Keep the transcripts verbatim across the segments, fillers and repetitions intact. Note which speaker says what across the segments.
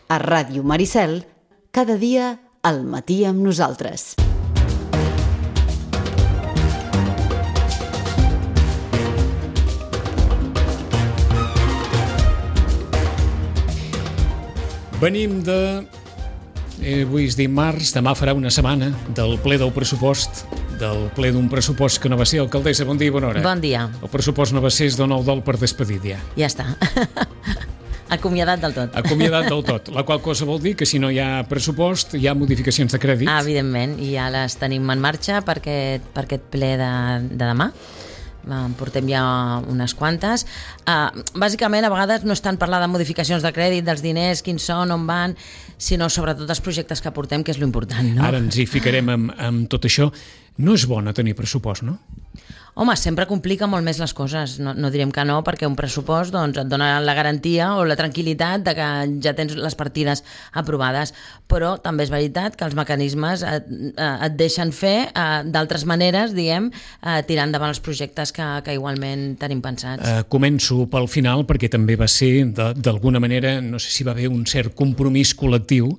Speaker 1: A Ràdio Maricel, cada dia al matí amb nosaltres.
Speaker 2: Venim de... Eh, avui és dimarts, demà farà una setmana del ple del pressupost, del ple d'un pressupost que no va ser. Alcaldessa, bon dia i bona hora.
Speaker 3: Bon dia.
Speaker 2: El pressupost no va ser, es dona el dol per despedir ja.
Speaker 3: Ja està. Acomiadat del tot.
Speaker 2: Acomiadat del tot, la qual cosa vol dir que si no hi ha pressupost hi ha modificacions de crèdit.
Speaker 3: Ah, evidentment, i ja les tenim en marxa per aquest, per aquest ple de, de demà. En portem ja unes quantes. Uh, bàsicament, a vegades no és tant parlar de modificacions de crèdit, dels diners, quins són, on van, sinó sobretot els projectes que portem, que és l'important, no?
Speaker 2: Ara ens hi ficarem amb, amb tot això. No és bo no tenir pressupost, no?
Speaker 3: Home, sempre complica molt més les coses, no, no direm que no, perquè un pressupost doncs, et dona la garantia o la tranquil·litat de que ja tens les partides aprovades, però també és veritat que els mecanismes et, et deixen fer eh, d'altres maneres, diguem, eh, tirant endavant els projectes que, que igualment tenim pensats.
Speaker 2: Uh, començo pel final, perquè també va ser, d'alguna manera, no sé si va haver un cert compromís col·lectiu,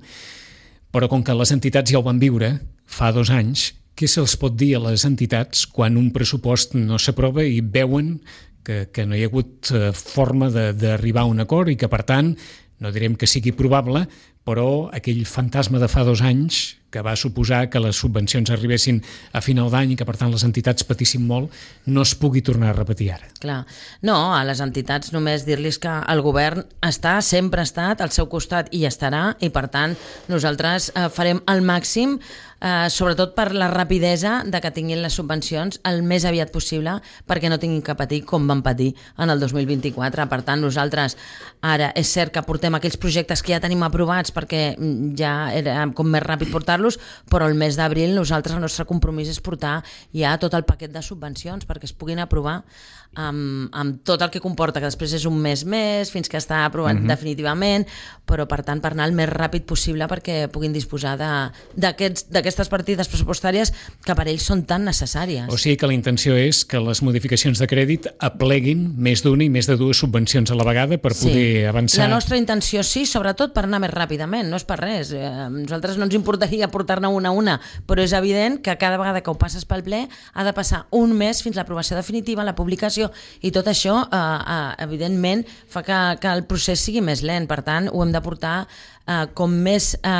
Speaker 2: però com que les entitats ja ho van viure fa dos anys, què se'ls pot dir a les entitats quan un pressupost no s'aprova i veuen que, que no hi ha hagut forma d'arribar a un acord i que, per tant, no direm que sigui probable, però aquell fantasma de fa dos anys que va suposar que les subvencions arribessin a final d'any i que, per tant, les entitats patissin molt, no es pugui tornar a repetir ara.
Speaker 3: Clar. No, a les entitats només dir-los que el govern està, sempre ha estat al seu costat i estarà, i, per tant, nosaltres eh, farem el màxim, eh, sobretot per la rapidesa de que tinguin les subvencions el més aviat possible perquè no tinguin que patir com van patir en el dos mil vint-i-quatre. Per tant, nosaltres ara és cert que portem aquells projectes que ja tenim aprovats perquè ja era com més ràpid portar-los, però el mes d'abril nosaltres el nostre compromís és portar ja tot el paquet de subvencions perquè es puguin aprovar amb, amb tot el que comporta, que després és un mes més fins que està aprovat uh-huh. definitivament, però per tant per anar el més ràpid possible perquè puguin disposar d'aquestes partides pressupostàries que per ells són tan necessàries.
Speaker 2: O sigui que la intenció és que les modificacions de crèdit apleguin més d'una i més de dues subvencions a la vegada per poder
Speaker 3: sí.
Speaker 2: avançar.
Speaker 3: La nostra intenció sí, sobretot per anar més ràpidament, no és per res. A nosaltres no ens importaria portar-ne una a una, però és evident que cada vegada que ho passes pel ple ha de passar un mes fins l'aprovació definitiva, la publicació, i tot això eh, eh, evidentment fa que, que el procés sigui més lent. Per tant, ho hem de portar eh, com més eh,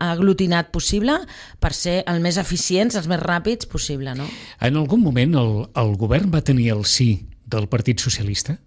Speaker 3: aglutinat possible per ser el més eficients, els més ràpids possible, no?
Speaker 2: En algun moment el, el govern va tenir el sí del Partit Socialista?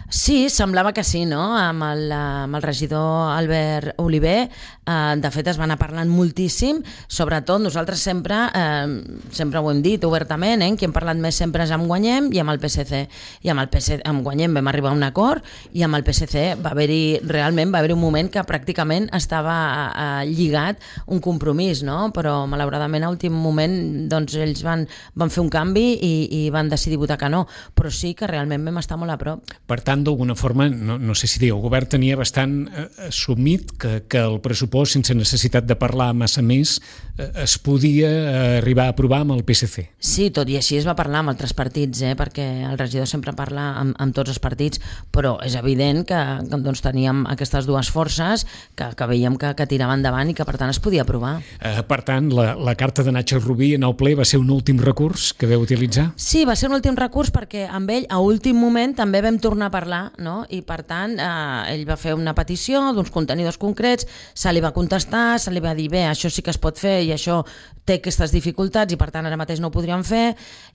Speaker 3: Sí, semblava que sí, no? Amb el, amb el regidor Albert Oliver, eh, de fet es van anar parlant moltíssim, sobretot nosaltres sempre, eh, sempre ho hem dit obertament, eh? Qui hem parlat més sempre és amb Guanyem i amb el P S C. I amb el P S C, amb Guanyem vam arribar a un acord i amb el P S C va haver-hi, realment va haver-hi un moment que pràcticament estava eh, lligat un compromís, no? Però malauradament a últim moment doncs ells van, van fer un canvi i, i van decidir votar que no, però sí que realment vam estar molt a prop.
Speaker 2: Per tant, d'alguna forma, no, no sé si dir, el govern tenia bastant eh, assumit que, que el pressupost, sense necessitat de parlar massa més, eh, es podia eh, arribar a aprovar amb el P S C.
Speaker 3: Sí, tot i així es va parlar amb altres partits, eh, perquè el regidor sempre parla amb, amb tots els partits, però és evident que, que doncs, teníem aquestes dues forces que, que veiem que, que tiraven endavant i que per tant es podia aprovar.
Speaker 2: Eh, per tant, la, la carta de Nacho Rubí en el ple va ser un últim recurs que vau utilitzar?
Speaker 3: Sí, va ser un últim recurs perquè amb ell a últim moment també vam tornar a parlar, no? I per tant eh, ell va fer una petició d'uns contenidors concrets, se li va contestar, se li va dir bé, això sí que es pot fer i això té aquestes dificultats i per tant ara mateix no ho podríem fer,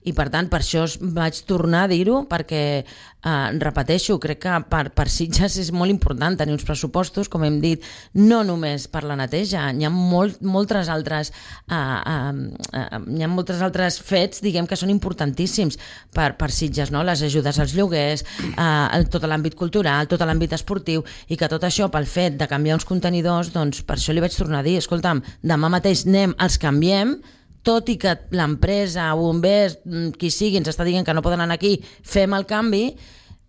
Speaker 3: i per tant per això vaig tornar a dir-ho perquè eh, repeteixo, crec que per, per Sitges és molt important tenir uns pressupostos, com hem dit, no només per la neteja, hi ha molt, moltes altres eh, eh, eh, hi ha moltes altres fets, diguem, que són importantíssims per, per Sitges, no? Les ajudes als lloguers, eh, tot l'àmbit cultural, tot l'àmbit esportiu, i que tot això pel fet de canviar uns contenidors, doncs per això li vaig tornar a dir, escolta'm, demà mateix anem, els canviem, tot i que l'empresa, bombers, qui sigui, ens està dient que no poden anar aquí, fem el canvi,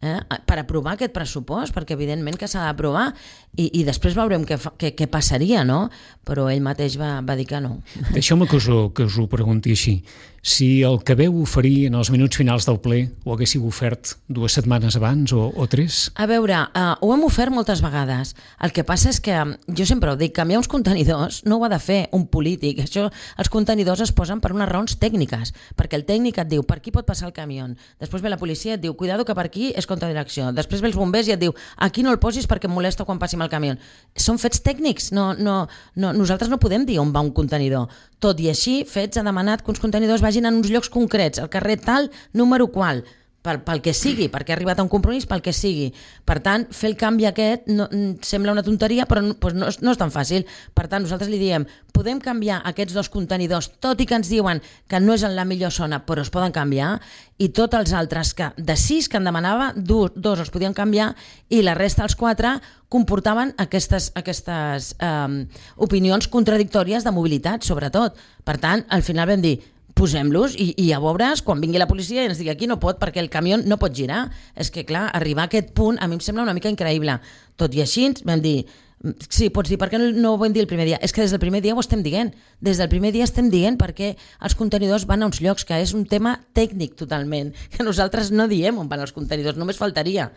Speaker 3: eh, per aprovar aquest pressupost, perquè evidentment que s'ha d'aprovar, i, i després veurem què, fa, què, què passaria, no? Però ell mateix va, va dir que no.
Speaker 2: Deixeu-me que us, ho, que us ho pregunti així. Si el que veu oferir en els minuts finals del ple ho haguéssiu ofert dues setmanes abans o, o tres?
Speaker 3: A veure, uh, ho hem ofert moltes vegades. El que passa és que, jo sempre ho dic, canviar uns contenidors no ho ha de fer un polític. Això, els contenidors es posen per unes raons tècniques, perquè el tècnic et diu per aquí pot passar el camió, després ve la policia i et diu cuidado que per aquí és contradirecció, després ve els bombers i et diu aquí no el posis perquè em molesta quan passi amb el camió. Són fets tècnics, no, no, no, nosaltres no podem dir on va un contenidor. Tot i així, Fets ha demanat que uns contenidors vagin en uns llocs concrets, al carrer tal, número qual, pel, pel que sigui, perquè ha arribat a un compromís, pel que sigui. Per tant, fer el canvi aquest no, sembla una tonteria, però no, doncs no, no és tan fàcil. Per tant, nosaltres li diem, podem canviar aquests dos contenidors, tot i que ens diuen que no és en la millor zona, però es poden canviar, i tots els altres, que de sis que en demanava, dos, dos els podien canviar, i la resta, els quatre, comportaven aquestes, aquestes um, opinions contradictòries de mobilitat, sobretot. Per tant, al final vam dir, posem-los i, i ja veuràs quan vingui la policia i ens digui aquí no pot perquè el camió no pot girar. És que clar, arribar a aquest punt a mi em sembla una mica increïble. Tot i així vam dir, sí, pots dir, per què no, no ho vam dir el primer dia? És que des del primer dia ho estem dient. Des del primer dia estem dient perquè els contenidors van a uns llocs, que és un tema tècnic totalment, que nosaltres no diem on van els contenidors, només faltaria.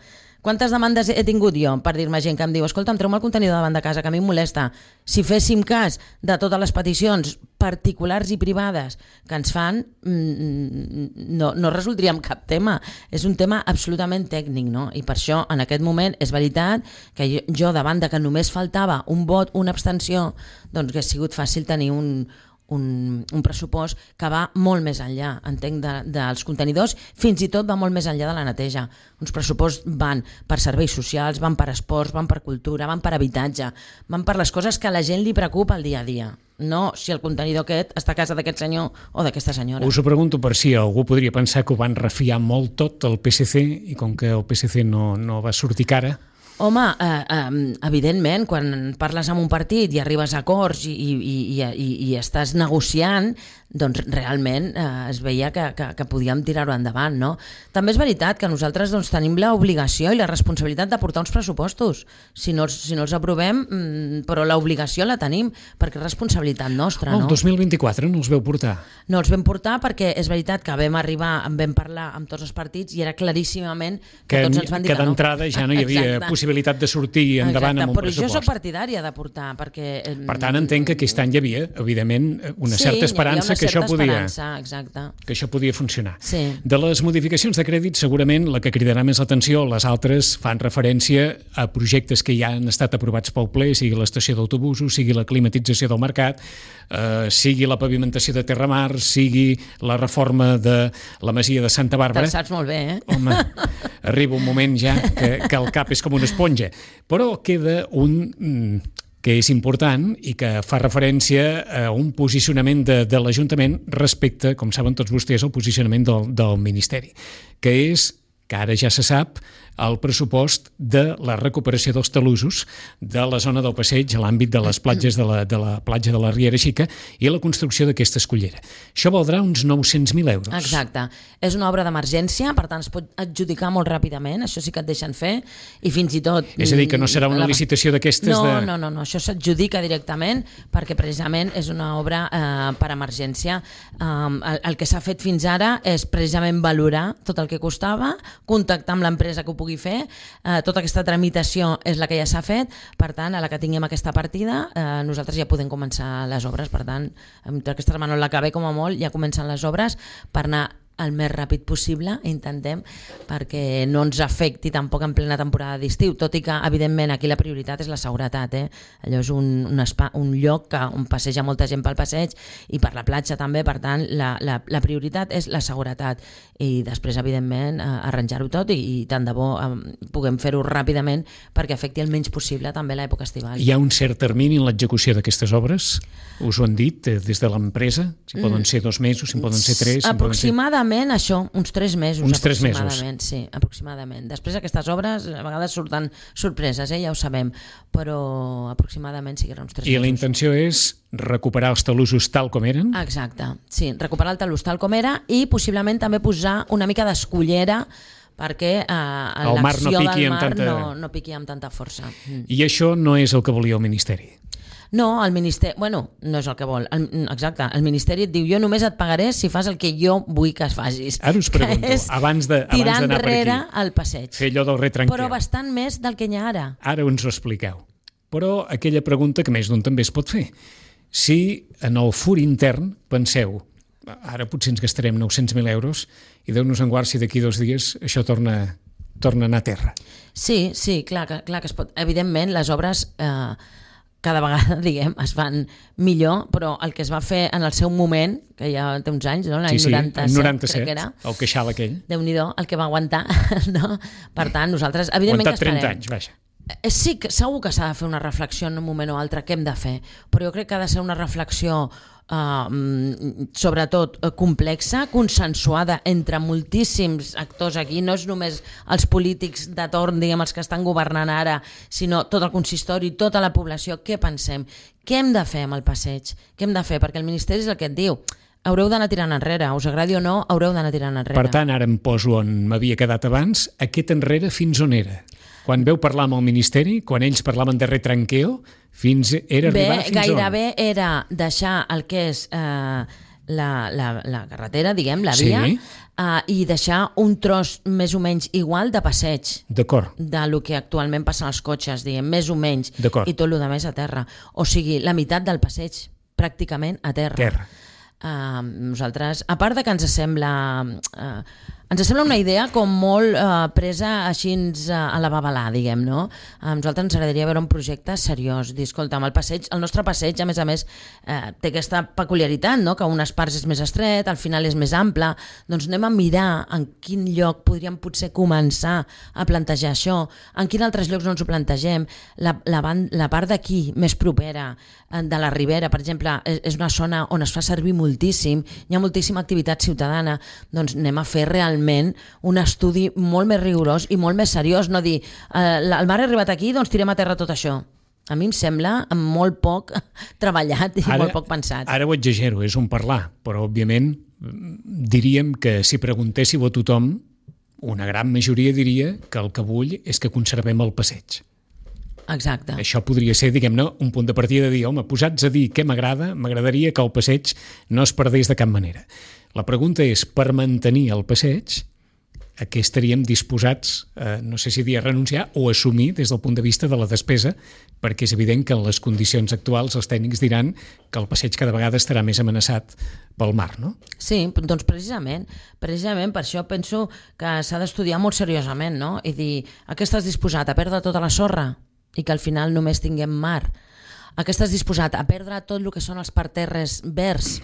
Speaker 3: Quantes demandes he tingut jo per dir-me gent que em diu escolta, em treu-me el contenidor davant de casa, que a mi em molesta. Si féssim cas de totes les peticions particulars i privades que ens fan, no, no resoldríem cap tema. És un tema absolutament tècnic, no? I per això, en aquest moment, és veritat que jo, jo davant de que només faltava un vot, una abstenció, doncs que ha sigut fàcil tenir un... Un, un pressupost que va molt més enllà, entenc, de, dels contenidors, fins i tot va molt més enllà de la neteja. Uns pressuposts van per serveis socials, van per esports, van per cultura, van per habitatge, van per les coses que a la gent li preocupa el dia a dia. No si el contenidor aquest està a casa d'aquest senyor o d'aquesta senyora.
Speaker 2: Us ho pregunto per si algú podria pensar que ho van refiar molt tot el P S C i com que el P S C no, no va sortir cara.
Speaker 3: Home, eh, eh, evidentment, quan parles amb un partit i arribes a acords i, i, i, i, i estàs negociant, doncs realment eh, es veia que, que, que podíem tirar-ho endavant, no? També és veritat que nosaltres doncs, tenim l'obligació i la responsabilitat de portar uns pressupostos. Si no, si no els aprovem, mm, però l'obligació la tenim, perquè és responsabilitat nostra, no?
Speaker 2: El dos mil vint-i-quatre no els veu portar?
Speaker 3: No els vam portar perquè és veritat que vam arribar, vam parlar amb tots els partits i era claríssimament que, que tots ens van dir que,
Speaker 2: que no. Que d'entrada ja no hi havia Exacte. possibilitat de sortir endavant Exacte, amb un
Speaker 3: però
Speaker 2: pressupost.
Speaker 3: Jo soc partidària de portar, perquè...
Speaker 2: Per tant, entenc que aquest any hi havia, evidentment, una
Speaker 3: sí,
Speaker 2: certa esperança
Speaker 3: una
Speaker 2: que això podia,
Speaker 3: exacte.
Speaker 2: que això podia funcionar.
Speaker 3: Sí.
Speaker 2: De les modificacions de crèdit, segurament la que cridarà més l'atenció, les altres fan referència a projectes que ja han estat aprovats pel ple, sigui l'estació d'autobusos, sigui la climatització del mercat, eh, sigui la pavimentació de Terramar, sigui la reforma de la masia de Santa Bàrbara.
Speaker 3: Te'l saps molt bé, eh?
Speaker 2: Home, arriba un moment ja que, que el cap és com una esponja. Però queda un que és important i que fa referència a un posicionament de, de l'Ajuntament respecte, com saben tots vostès, al posicionament del, del Ministeri, que és, que ara ja se sap, el pressupost de la recuperació dels talussos de la zona del passeig a l'àmbit de les platges de la, de la platja de la Riera Xica i la construcció d'aquesta escollera. Això valdrà uns nou-cents mil euros.
Speaker 3: Exacte. És una obra d'emergència, per tant es pot adjudicar molt ràpidament, això sí que et deixen fer, i fins i tot...
Speaker 2: És a dir, que no serà una la... licitació d'aquestes
Speaker 3: no,
Speaker 2: de...
Speaker 3: No, no, no, això s'adjudica directament perquè precisament és una obra eh, per emergència. Um, el, el que s'ha fet fins ara és precisament valorar tot el que costava, contactar amb l'empresa que ho pugui fer, eh, tota aquesta tramitació és la que ja s'ha fet, per tant, a la que tinguem aquesta partida, eh, nosaltres ja podem començar les obres, per tant, amb aquesta setmana la que ve com a molt, ja comencen les obres per anar el més ràpid possible, intentem, perquè no ens afecti tampoc en plena temporada d'estiu, tot i que, evidentment, aquí la prioritat és la seguretat, eh? Allò és un, un, espa, un lloc que, on passeja molta gent pel passeig i per la platja també, per tant, la, la, la prioritat és la seguretat i després, evidentment, arranjar-ho tot i, i tant de bo eh, puguem fer-ho ràpidament perquè afecti el menys possible també l'època estival.
Speaker 2: Hi ha un cert termini en l'execució d'aquestes obres? Us ho han dit eh, des de l'empresa? Si poden ser dos mesos, si poden ser tres... Si
Speaker 3: aproximadament això, uns tres mesos.
Speaker 2: Uns tres
Speaker 3: aproximadament, mesos. Sí, aproximadament. Després aquestes obres a vegades surten sorpreses, eh, ja ho sabem, però aproximadament siguin uns tres
Speaker 2: I
Speaker 3: mesos.
Speaker 2: I la intenció és recuperar els talussos tal com eren?
Speaker 3: Exacte, sí, recuperar el talús tal com era i possiblement també posar una mica d'escollera perquè eh,
Speaker 2: el mar no
Speaker 3: l'acció
Speaker 2: piqui
Speaker 3: del
Speaker 2: amb
Speaker 3: mar
Speaker 2: tanta...
Speaker 3: no, no piqui amb tanta força. Mm.
Speaker 2: I això no és el que volia el Ministeri.
Speaker 3: No, el Ministeri... Bueno, no és el que vol. El, exacte, el Ministeri et diu jo només et pagaré si fas el que jo vull que es facis.
Speaker 2: Ara us pregunto, abans de, abans d'anar per aquí,
Speaker 3: el passeig.
Speaker 2: fer allò del retranqueu.
Speaker 3: Però bastant més del que hi ha ara.
Speaker 2: Ara ens ho expliqueu. Però aquella pregunta que més d'un també es pot fer. Si en el fur intern penseu, ara potser ens gastarem nou-cents mil euros i Déu-nos en guard si d'aquí dos dies això torna, torna a anar a terra.
Speaker 3: Sí, sí, clar que, clar que es pot. Evidentment, les obres eh, cada vegada, diguem, es fan millor, però el que es va fer en el seu moment, que ja té uns anys, no? L'any
Speaker 2: sí, sí,
Speaker 3: noranta-set,
Speaker 2: noranta-set,
Speaker 3: crec que era.
Speaker 2: El queixal aquell.
Speaker 3: Déu-n'hi-do, el que va aguantar, no? Per tant, nosaltres, evidentment que estarem.
Speaker 2: trenta anys, vaja.
Speaker 3: Sí, que segur que s'ha de fer una reflexió en un moment o altre, què hem de fer, però jo crec que ha de ser una reflexió eh, sobretot complexa, consensuada entre moltíssims actors aquí, no és només els polítics de torn, diguem, els que estan governant ara, sinó tot el consistori, tota la població. Què pensem? Què hem de fer amb el passeig? Què hem de fer? Perquè el Ministeri és el que et diu, haureu d'anar tirant enrere, us agradi o no, haureu d'anar tirant enrere.
Speaker 2: Per tant, ara em poso on m'havia quedat abans, aquest enrere fins on era? Quan veu parlar amb el Ministeri, quan ells parlaven de retranqueo, fins era
Speaker 3: Bé,
Speaker 2: arribar fins
Speaker 3: gairebé
Speaker 2: on?
Speaker 3: era deixar el que és eh, la, la, la carretera, diguem, la
Speaker 2: Sí.
Speaker 3: via, eh, i deixar un tros més o menys igual de passeig
Speaker 2: D'acord.
Speaker 3: de lo que actualment passen els cotxes, diguem, més o menys,
Speaker 2: D'acord.
Speaker 3: i tot el més a terra. O sigui, la meitat del passeig pràcticament a terra.
Speaker 2: Terra.
Speaker 3: Uh, nosaltres, a part de que ens sembla uh, ens sembla una idea com molt uh, presa així uh, a la babalà, diguem, no? A nosaltres ens agradaria veure un projecte seriós, dir, escolta, el passeig, el nostre passeig, a més a més, uh, té aquesta peculiaritat, no? Que unes parts és més estret, al final és més ample, doncs anem a mirar en quin lloc podríem potser començar a plantejar això, en quins altres llocs no ens ho plantegem, la, la, band, la part d'aquí, més propera, de la Ribera, per exemple, és, és una zona on es fa servir moltíssim, hi ha moltíssima activitat ciutadana, doncs anem a fer realment un estudi molt més rigorós i molt més seriós, no dir, eh, el mar ha arribat aquí, doncs tirem a terra tot això. A mi em sembla molt poc treballat i ara, molt poc pensat.
Speaker 2: Ara ho exagero, és un parlar, però òbviament diríem que si preguntéssiu a tothom, una gran majoria diria que el que vull és que conservem el passeig.
Speaker 3: Exacte.
Speaker 2: Això podria ser, diguem-ne, un punt de partida de dir, home, posats a dir què m'agrada, m'agradaria que el passeig no es perdés de cap manera. La pregunta és, per mantenir el passeig, a què estaríem disposats, eh, no sé si dir a renunciar o assumir des del punt de vista de la despesa, perquè és evident que en les condicions actuals els tècnics diran que el passeig cada vegada estarà més amenaçat pel mar, no?
Speaker 3: Sí, doncs precisament, precisament per això penso que s'ha d'estudiar molt seriosament, no? I dir, a què estàs disposat? A perdre tota la sorra? I que al final només tinguem mar. A què estàs disposat? A perdre tot el que són els parterres verds?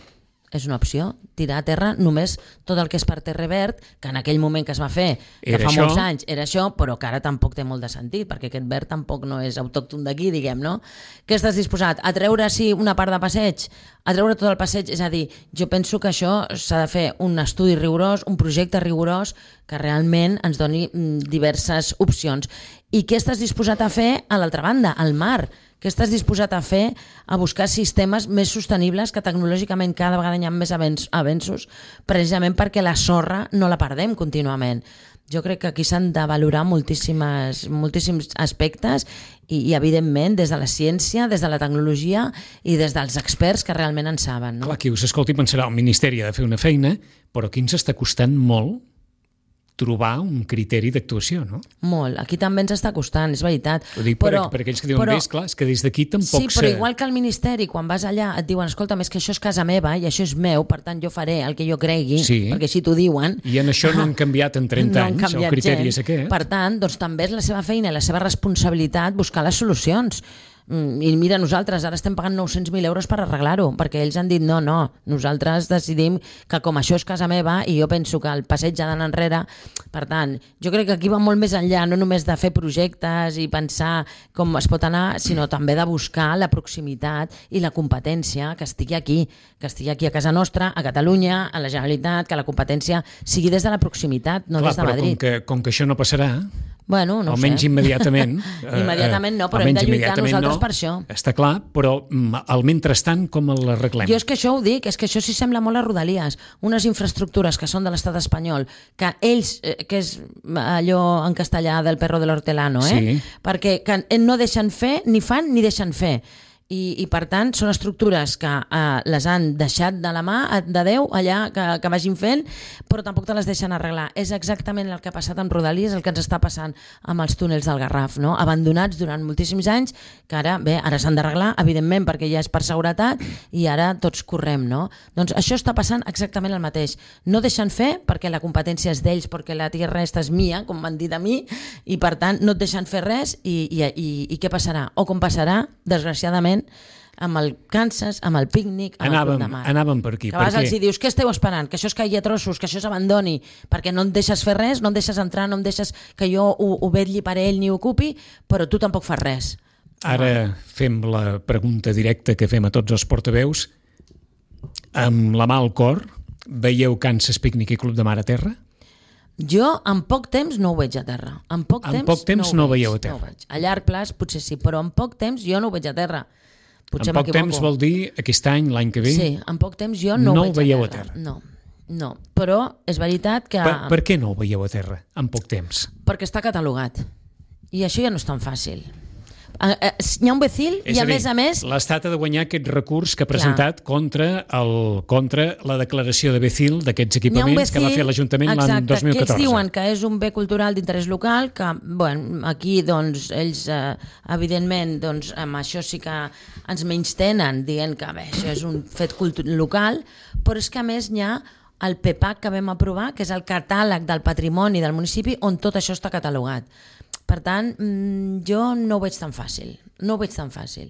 Speaker 3: És una opció, tirar a terra només tot el que és parterre verd, que en aquell moment que es va fer, que
Speaker 2: era
Speaker 3: fa
Speaker 2: això.
Speaker 3: molts anys, era això, però que ara tampoc té molt de sentit, perquè aquest verd tampoc no és autòcton d'aquí, diguem, no? Què estàs disposat? A treure, sí, una part de passeig? A treure tot el passeig? És a dir, jo penso que això s'ha de fer un estudi rigorós, un projecte rigorós, que realment ens doni diverses opcions. I què estàs disposat a fer a l'altra banda, al mar? Què estàs disposat a fer a buscar sistemes més sostenibles que tecnològicament cada vegada hi ha més avenços, precisament perquè la sorra no la perdem contínuament. Jo crec que aquí s'han de valorar moltíssimes, moltíssims aspectes i, i, evidentment, des de la ciència, des de la tecnologia i des dels experts que realment en saben. No?
Speaker 2: Clar, qui us escolti pensarà, el Ministeri ha de fer una feina, però aquí ens està costant molt trobar un criteri d'actuació, no?
Speaker 3: Molt. Aquí també ens està costant, és veritat.
Speaker 2: Ho dic però, per, per aquells que diuen, però, bé, esclar, és que des d'aquí tampoc...
Speaker 3: Sí, però se... igual que al Ministeri, quan vas allà et diuen, escolta, és que això és casa meva i això és meu, per tant jo faré el que jo cregui, sí. perquè així t'ho diuen.
Speaker 2: I en això no han canviat en trenta
Speaker 3: no
Speaker 2: anys, el criteri
Speaker 3: gens.
Speaker 2: És aquest.
Speaker 3: Per tant, doncs també és la seva feina i la seva responsabilitat buscar les solucions. I mira, nosaltres ara estem pagant nou-cents mil euros per arreglar-ho, perquè ells han dit no, no, nosaltres decidim que com això és casa meva i jo penso que el passeig ha d'anar enrere. Per tant, jo crec que aquí va molt més enllà, no només de fer projectes i pensar com es pot anar, sinó també de buscar la proximitat i la competència que estigui aquí, que estigui aquí a casa nostra, a Catalunya, a la Generalitat, que la competència sigui des de la proximitat, no
Speaker 2: Clar,
Speaker 3: des de Madrid.
Speaker 2: Clar, però com que, com que això no passarà...
Speaker 3: Bueno, no ho
Speaker 2: almenys
Speaker 3: sé.
Speaker 2: immediatament.
Speaker 3: Immediatament no, però hem de lluitar nosaltres per això.
Speaker 2: Està clar, però al mentrestant com l'arreglem?
Speaker 3: Jo és que això ho dic, és que això sí sembla molt a Rodalies, unes infraestructures que són de l'estat espanyol, que ells, que és allò en castellà del perro de l'hortelano, eh?
Speaker 2: Sí.
Speaker 3: Perquè que no deixen fer, ni fan ni deixen fer. I, i per tant són estructures que eh, les han deixat de la mà de Déu allà que, que vagin fent, però tampoc te les deixen arreglar. És exactament el que ha passat amb Rodalies, el que ens està passant amb els túnels del Garraf, no? Abandonats durant moltíssims anys, que ara, bé, ara s'han d'arreglar, evidentment, perquè ja és per seguretat i ara tots correm, no? Doncs això està passant exactament el mateix. No deixen fer perquè la competència és d'ells, perquè la tierra esta és mia, com m'han dit a mi, i per tant no et deixen fer res i, i, i, i què passarà? O com passarà, desgraciadament, amb el Kansas, amb el pícnic, amb
Speaker 2: anàvem,
Speaker 3: el punt de mar.
Speaker 2: Anàvem per aquí.
Speaker 3: Que a vegades els dius, què esteu esperant? Que això es caigui a trossos, que això s'abandoni, perquè no em deixes fer res, no em deixes entrar, no em deixes que jo ho, ho vetlli per ell ni ho ocupi, però tu tampoc fas res.
Speaker 2: Ara fem la pregunta directa que fem a tots els portaveus. Amb la mà al cor, veieu Kansas Pícnic i Club de Mar a terra?
Speaker 3: Jo en poc temps no ho veig a terra. En poc
Speaker 2: en
Speaker 3: temps,
Speaker 2: poc temps no,
Speaker 3: no
Speaker 2: ho veieu a terra.
Speaker 3: No a llarg plaç potser sí, però en poc temps jo no ho veig a terra. Potser
Speaker 2: en poc temps vol dir aquest any, l'any que ve?
Speaker 3: Sí, en poc temps jo no,
Speaker 2: no
Speaker 3: ho veig
Speaker 2: veieu
Speaker 3: a terra.
Speaker 2: a terra.
Speaker 3: No, no, però és veritat que...
Speaker 2: Per, per què no ho veieu a terra en poc temps?
Speaker 3: Perquè està catalogat. I això ja no és tan fàcil. Hi ha un becil i a, a dir, més a més...
Speaker 2: l'Estat ha de guanyar aquest recurs que ha presentat contra, el, contra la declaració de becil d'aquests equipaments becil, que va fer l'Ajuntament l'any dos mil catorze.
Speaker 3: Que ells diuen que és un bé cultural d'interès local, que bueno, aquí doncs, ells eh, evidentment doncs, amb això sí que ens menystenen dient que bé, això és un fet local, però és que a més hi ha el PEPAC que vam aprovar, que és el catàleg del patrimoni del municipi on tot això està catalogat. Per tant, jo no ho veig tan fàcil. No ho veig tan fàcil.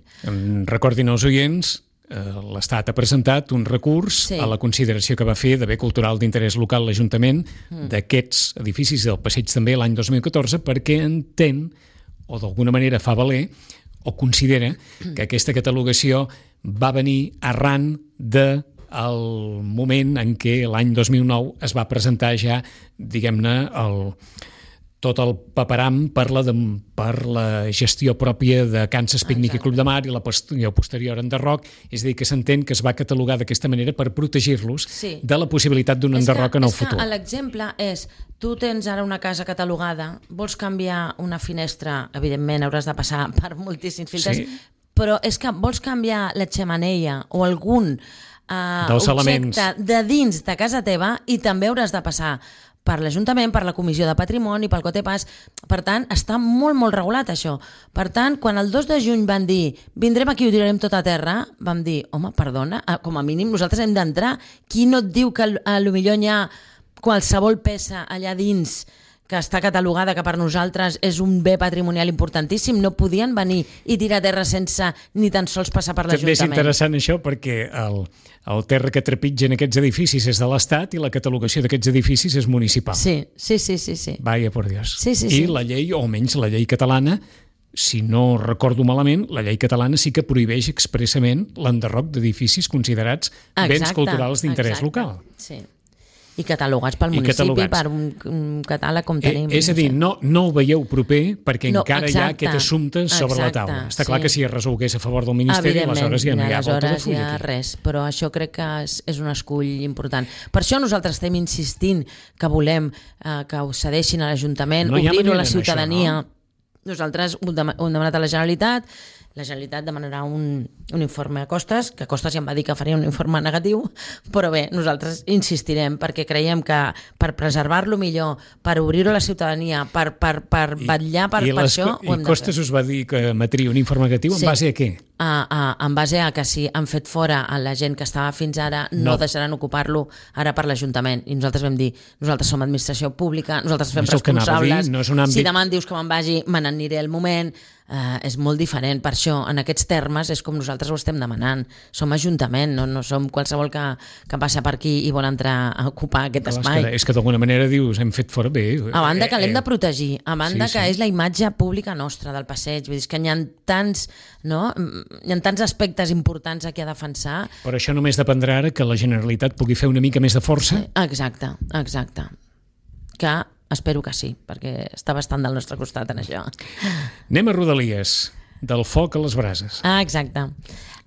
Speaker 2: Recordin als oients, l'Estat ha presentat un recurs sí. a la consideració que va fer de bé cultural d'interès local l'Ajuntament mm. d'aquests edificis del Passeig també l'any dos mil catorze perquè entén, o d'alguna manera fa valer, o considera que aquesta catalogació va venir arran de el moment en què l'any dos mil nou es va presentar ja, diguem-ne, el... tot el paperam per la, de, per la gestió pròpia de Kansas Pícnic Exacte. I Club de Mar i la posterior enderroc, és a dir, que s'entén que es va catalogar d'aquesta manera per protegir-los sí. de la possibilitat d'un enderroc en el futur.
Speaker 3: L'exemple és, tu tens ara una casa catalogada, vols canviar una finestra, evidentment hauràs de passar per moltíssims filtres, sí. però és que vols canviar la xemeneia o algun uh, objecte elements. De dins de casa teva i també hauràs de passar per l'Ajuntament, per la Comissió de Patrimoni, pel Cotepàs. Per tant, està molt, molt regulat això. Per tant, quan el dos de juny van dir vindrem aquí i ho tirarem tot a terra, vam dir, home, perdona, com a mínim nosaltres hem d'entrar. Qui no et diu que a lo millor hi ha qualsevol peça allà dins que està catalogada, que per nosaltres és un bé patrimonial importantíssim, no podien venir i tirar terra sense ni tan sols passar per l'Ajuntament.
Speaker 2: També és interessant això perquè el, el terra que trepitgen aquests edificis és de l'Estat i la catalogació d'aquests edificis és municipal.
Speaker 3: Sí, sí, sí. sí, sí.
Speaker 2: Vaya por Dios.
Speaker 3: Sí, sí,
Speaker 2: I
Speaker 3: sí.
Speaker 2: la llei, o almenys la llei catalana, si no recordo malament, la llei catalana sí que prohibeix expressament l'enderroc d'edificis considerats exacte, béns culturals d'interès local.
Speaker 3: Sí. I catalogats pel municipi, catalogats. Per un, un catàleg com tenim.
Speaker 2: Eh, és a dir, no, no ho veieu proper perquè no, encara exacte, hi ha aquest assumpte sobre
Speaker 3: exacte,
Speaker 2: la taula. Està
Speaker 3: sí.
Speaker 2: clar que si es resolgués a favor del Ministeri, aleshores ja no hi ha volta de full
Speaker 3: hi ha
Speaker 2: aquí.
Speaker 3: Res, però això crec que és, és un escull important. Per això nosaltres estem insistint que volem eh, que ho cedeixin a l'Ajuntament, no obrir-ho a la ciutadania. Això, no? Nosaltres ho hem demanat a la Generalitat, la Generalitat demanarà un, un informe a Costes, que Costes ja em va dir que faria un informe negatiu, però bé, nosaltres insistirem perquè creiem que per preservar-lo millor, per obrir-ho a la ciutadania, per, per, per vetllar per, per això, ho hem de fer.
Speaker 2: I Costes us va dir que emetria un informe negatiu en sí. base a què?
Speaker 3: A, a, en base a que si han fet fora a la gent que estava fins ara, no, no deixaran ocupar-lo ara per l'Ajuntament. I nosaltres vam dir, nosaltres som administració pública, nosaltres fem no responsables, dir, no és un àmbit... si demà em dius que me'n vagi, me n'aniré al moment... Uh, és molt diferent, per això en aquests termes és com nosaltres ho estem demanant, som Ajuntament, no, no som qualsevol que, que passa per aquí i vol entrar a ocupar aquest
Speaker 2: Clar,
Speaker 3: espai.
Speaker 2: És que, és que d'alguna manera dius, hem fet fora bé.
Speaker 3: A banda que l'hem de protegir, a banda sí, que sí. és la imatge pública nostra del passeig, vull dir que hi ha tants, no? hi ha tants aspectes importants aquí a defensar.
Speaker 2: Però això només dependrà ara que la Generalitat pugui fer una mica més de força.
Speaker 3: Exacte, exacte. Que espero que sí, perquè està bastant del nostre costat en això.
Speaker 2: Anem a Rodalies, del foc a les brases.
Speaker 3: Ah, exacte.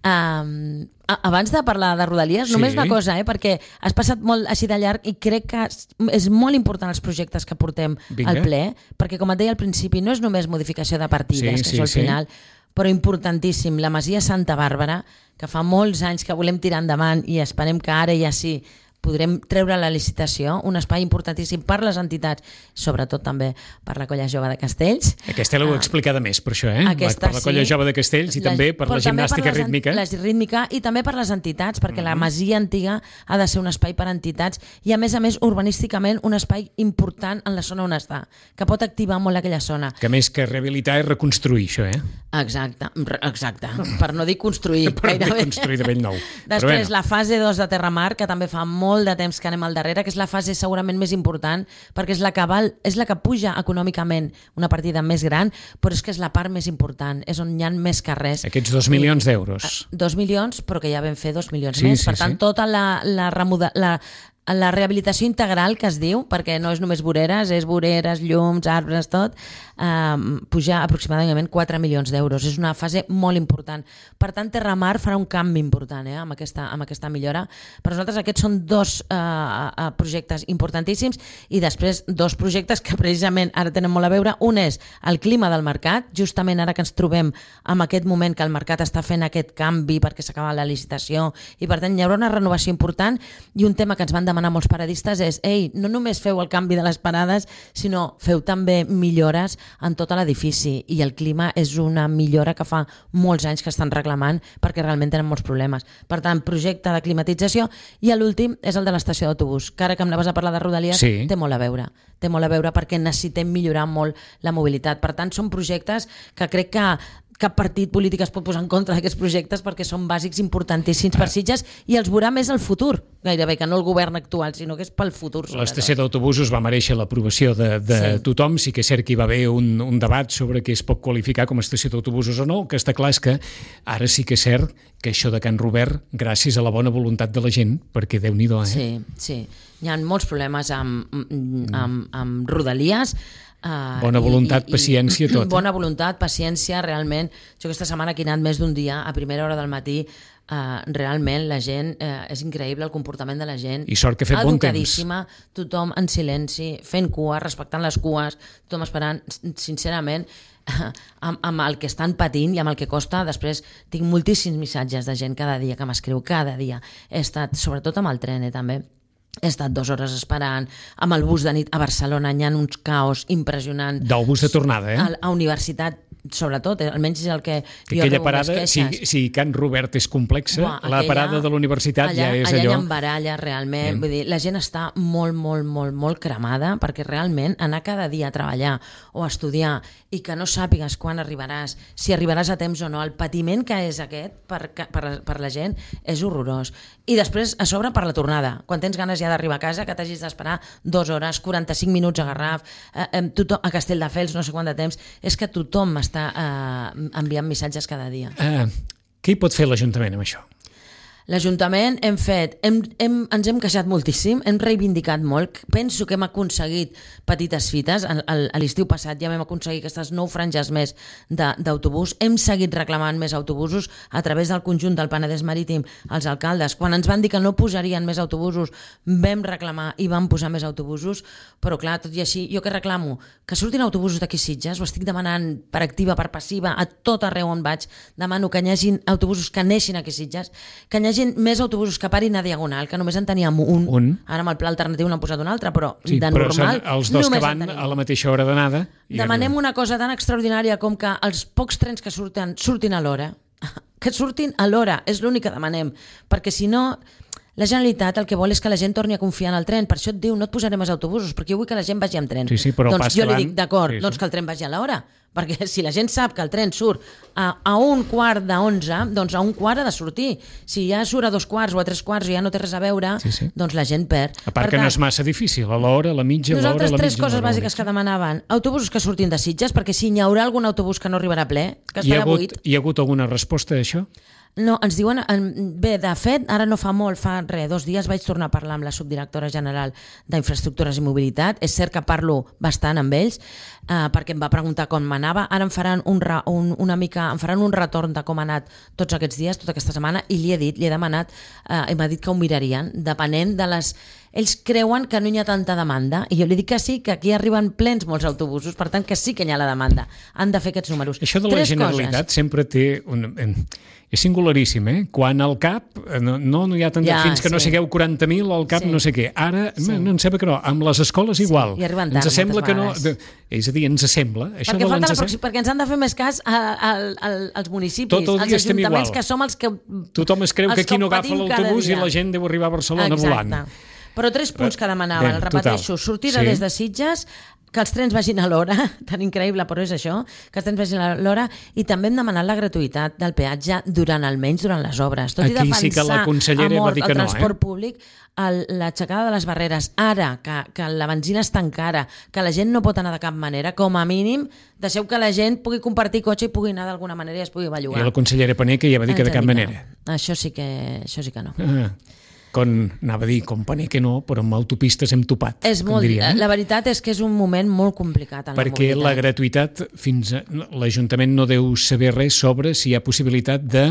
Speaker 3: Um, abans de parlar de Rodalies,
Speaker 2: Sí.
Speaker 3: només una cosa, eh, perquè has passat molt així de llarg i crec que és molt important els projectes que portem
Speaker 2: Vinga.
Speaker 3: al ple, perquè com et deia al principi, no és només modificació de partides,
Speaker 2: Sí,
Speaker 3: que
Speaker 2: sí,
Speaker 3: això al
Speaker 2: sí.
Speaker 3: final, però importantíssim, la Masia Santa Bàrbara, que fa molts anys que volem tirar endavant i esperem que ara ja sí podrem treure la licitació, un espai importantíssim per les entitats, sobretot també per la Colla Jove de Castells.
Speaker 2: Aquesta l'heu
Speaker 3: Ah,
Speaker 2: explicada més, per això, eh?
Speaker 3: Aquesta
Speaker 2: per la Colla
Speaker 3: sí.
Speaker 2: Jove de Castells i
Speaker 3: La-
Speaker 2: també per la
Speaker 3: però també
Speaker 2: gimnàstica
Speaker 3: per les en-
Speaker 2: rítmica.
Speaker 3: La rítmica i també per les entitats, perquè la Masia Antiga ha de ser un espai per a entitats i, a més a més, urbanísticament, un espai important en la zona on està, que pot activar molt aquella zona.
Speaker 2: Que més que rehabilitar és reconstruir, això, eh?
Speaker 3: Exacte, re- exacte, per no dir construir.
Speaker 2: Per no dir
Speaker 3: gairebé.
Speaker 2: construir de bell nou. Però
Speaker 3: Després,
Speaker 2: bueno.
Speaker 3: la fase dos de Terramar, que també fa molt de temps que anem al darrere, que és la fase segurament més important, perquè és la que, val, és la que puja econòmicament una partida més gran, però és que és la part més important, és on hi ha més carrers.
Speaker 2: Aquests dos milions d'euros.
Speaker 3: Dos milions, però que ja vam fer dos milions
Speaker 2: Sí,
Speaker 3: més.
Speaker 2: sí,
Speaker 3: Per tant,
Speaker 2: sí.
Speaker 3: tota la, la, remoda, la, la rehabilitació integral que es diu, perquè no és només voreres, és voreres, llums, arbres, tot, eh, puja aproximadament quatre milions d'euros. És una fase molt important. Per tant, Terramar farà un canvi important eh, amb, aquesta, amb aquesta millora. Per nosaltres aquests són dos eh, eh, projectes importantíssims i després dos projectes que precisament ara tenen molt a veure. Un és el clima del mercat, justament ara que ens trobem en aquest moment que el mercat està fent aquest canvi perquè s'acaba la licitació i per tant hi haurà una renovació important i un tema que ens van demanar molts paradistes és ei, no només feu el canvi de les parades, sinó feu també millores en tot l'edifici i el clima és una millora que fa molts anys que estan reclamant perquè realment tenen molts problemes. Per tant, projecte de climatització i l'últim és el de l'estació d'autobús, que ara que em anaves a parlar de Rodalies
Speaker 2: Sí.
Speaker 3: té molt a veure. Té molt a veure perquè necessitem millorar molt la mobilitat. Per tant, són projectes que crec que cap partit polític es pot posar en contra d'aquests projectes perquè són bàsics importantíssims per Sitges i els veurà més el futur, gairebé, que no el govern actual, sinó que és pel futur.
Speaker 2: L'estació d'autobusos va mereixer l'aprovació de, de
Speaker 3: Sí.
Speaker 2: tothom. Sí que és cert que hi va haver un, un debat sobre què es pot qualificar com a estació d'autobusos o no. El que està clar és que ara sí que és cert que això de Can Robert, gràcies a la bona voluntat de la gent, perquè Déu-n'hi-do, eh?
Speaker 3: Sí, sí. Hi ha molts problemes amb, amb, amb Rodalies. Uh,
Speaker 2: Bona voluntat, paciència, tot, eh?
Speaker 3: Bona voluntat, paciència, realment. Jo aquesta setmana que he anat més d'un dia, a primera hora del matí, uh, realment la gent, uh, és increïble el comportament de la gent.
Speaker 2: I sort que ha fet bon temps.
Speaker 3: Educadíssima, tothom en silenci, fent cua, respectant les cues, tothom esperant, sincerament, amb, amb el que estan patint i amb el que costa. Després tinc moltíssims missatges de gent cada dia que m'escriu, cada dia. He estat, sobretot amb el tren, eh, també, he estat dues hores esperant, amb el bus de nit a Barcelona hi ha uns caos impressionants.
Speaker 2: Del bus de tornada, eh?
Speaker 3: A, a universitat, sobretot, eh, almenys és el que,
Speaker 2: Que
Speaker 3: jo
Speaker 2: aquella
Speaker 3: rebo
Speaker 2: parada,
Speaker 3: més
Speaker 2: si,
Speaker 3: queixes.
Speaker 2: si Can Robert és complexa,
Speaker 3: Buah,
Speaker 2: la
Speaker 3: aquella-
Speaker 2: parada de la universitat
Speaker 3: allà,
Speaker 2: ja és
Speaker 3: allà
Speaker 2: allò...
Speaker 3: hi ha baralla, realment.
Speaker 2: Sí.
Speaker 3: Vull dir, la gent està molt, molt, molt, molt cremada perquè realment anar cada dia a treballar o a estudiar i que no sàpigues quan arribaràs, si arribaràs a temps o no, el patiment que és aquest per, per, per la gent és horrorós. I després, a sobre, per la tornada. Quan tens ganes ja d'arribar a casa, que t'hagis d'esperar dues hores, quaranta-cinc minuts a Garraf, eh, eh, tothom, a Castelldefels, no sé quant de temps, és que tothom està eh, enviant missatges cada dia.
Speaker 2: Ah, què hi pot fer l'Ajuntament amb això?
Speaker 3: L'Ajuntament hem fet, hem, hem, ens hem queixat moltíssim, hem reivindicat molt, penso que hem aconseguit petites fites, a, a l'estiu passat ja vam aconseguir aquestes nou franges més d'autobús, hem seguit reclamant més autobusos a través del conjunt del Penedès Marítim, els alcaldes, quan ens van dir que no posarien més autobusos, vam reclamar i vam posar més autobusos, però clar, tot i així, jo què reclamo? Que surtin autobusos d'aquí Sitges, ho estic demanant per activa, per passiva, a tot arreu on vaig, demano que hi hagin autobusos que neixin aquí Sitges, que hi hagi més autobusos que parin a Diagonal, que només en teníem un.
Speaker 2: Un.
Speaker 3: Ara amb el pla alternatiu n'han posat un altre, però
Speaker 2: Sí,
Speaker 3: de
Speaker 2: però
Speaker 3: normal
Speaker 2: són els dos
Speaker 3: només
Speaker 2: que
Speaker 3: en
Speaker 2: van
Speaker 3: tenim
Speaker 2: a la
Speaker 3: un.
Speaker 2: mateixa hora d'anada. i
Speaker 3: Demanem
Speaker 2: arriben.
Speaker 3: una cosa tan extraordinària com que els pocs trens que surten, surtin a l'hora. Que surtin a l'hora, és l'únic que demanem. Perquè si no, la Generalitat el que vol és que la gent torni a confiar en el tren. Per això et diu, no et posaré més autobusos, perquè jo vull que la gent vagi amb tren.
Speaker 2: Sí, sí, però el
Speaker 3: doncs
Speaker 2: pas
Speaker 3: jo
Speaker 2: que
Speaker 3: li
Speaker 2: van-
Speaker 3: dic, d'acord,
Speaker 2: sí, sí.
Speaker 3: doncs que el tren vagi a l'hora. Perquè si la gent sap que el tren surt a, a un quart d'onze, doncs a un quart ha de sortir. Si ja surt a dos quarts o a tres quarts i ja no té res a veure,
Speaker 2: Sí, sí.
Speaker 3: doncs la gent perd.
Speaker 2: A part
Speaker 3: Per
Speaker 2: que no
Speaker 3: tant,
Speaker 2: és massa difícil, a l'hora, a la mitja, a l'hora, a
Speaker 3: nosaltres
Speaker 2: la
Speaker 3: tres
Speaker 2: mitja...
Speaker 3: coses
Speaker 2: a l'hora,
Speaker 3: bàsiques que demanaven. Autobusos que surtin de Sitges, perquè si hi haurà algun autobús que no arribarà ple, que
Speaker 2: Hi ha,
Speaker 3: estarà
Speaker 2: hagut,
Speaker 3: buit.
Speaker 2: hi ha hagut alguna resposta a això?
Speaker 3: No, ens diuen... Bé, de fet, ara no fa molt, fa res, dos dies vaig tornar a parlar amb la subdirectora general d'Infraestructures i Mobilitat. És cert que parlo bastant amb ells, eh, perquè em va preguntar com m'anava. Ara em faran un, un, una mica, em faran un retorn de com ha anat tots aquests dies, tota aquesta setmana, i li he dit, li he demanat, eh, i m'ha dit que ho mirarien, depenent de les... Ells creuen que no hi ha tanta demanda, i jo li dic que sí, que aquí arriben plens molts autobusos, per tant que sí que hi ha la demanda. Han de fer aquests números.
Speaker 2: Això de la
Speaker 3: Tres
Speaker 2: Generalitat coses. Sempre té... Un, és singularíssim, eh? Quan al cap, no, no hi ha tant ja, fins que sí. no sigueu quaranta mil, al cap sí. no sé què. Ara, sí. no, no em sembla que no, amb les escoles igual.
Speaker 3: Sí. I arriben tard,
Speaker 2: ens sembla que no...
Speaker 3: De,
Speaker 2: és a dir, ens sembla. Això
Speaker 3: perquè,
Speaker 2: ens
Speaker 3: ens... perquè ens han de fer més cas a, a, a, als municipis,
Speaker 2: Tot el
Speaker 3: als ajuntaments,
Speaker 2: igual.
Speaker 3: Que som els que...
Speaker 2: Tothom es creu que aquí no agafa l'autobús i la gent deu arribar a Barcelona
Speaker 3: Exacte.
Speaker 2: volant.
Speaker 3: Però tres punts que demanaven, el repeteixo, sortida sí. des de Sitges, que els trens vagin a l'hora, tan increïble, però és això, que els trens vagin a l'hora, i també hem demanat la gratuïtat del peatge durant, almenys durant les obres. Tot
Speaker 2: Aquí
Speaker 3: i defensar
Speaker 2: sí que la consellera
Speaker 3: a mort
Speaker 2: va dir que
Speaker 3: el
Speaker 2: no,
Speaker 3: transport
Speaker 2: eh?
Speaker 3: públic, l'aixecada de les barreres, ara que, que la benzina és tan cara, que la gent no pot anar de cap manera, com a mínim, deixeu que la gent pugui compartir cotxe i pugui anar d'alguna manera i es pugui bellugar.
Speaker 2: I la consellera Paneque ja va dir que de cap manera.
Speaker 3: Això sí que, això sí que no.
Speaker 2: Ah. Com, anava a dir, com paner que no, però amb autopistes hem topat.
Speaker 3: És molt, diria, eh? La veritat és que és un moment molt complicat en
Speaker 2: Perquè
Speaker 3: la mobilitat.
Speaker 2: la gratuïtat, fins a, l'Ajuntament no deu saber res sobre si hi ha possibilitat de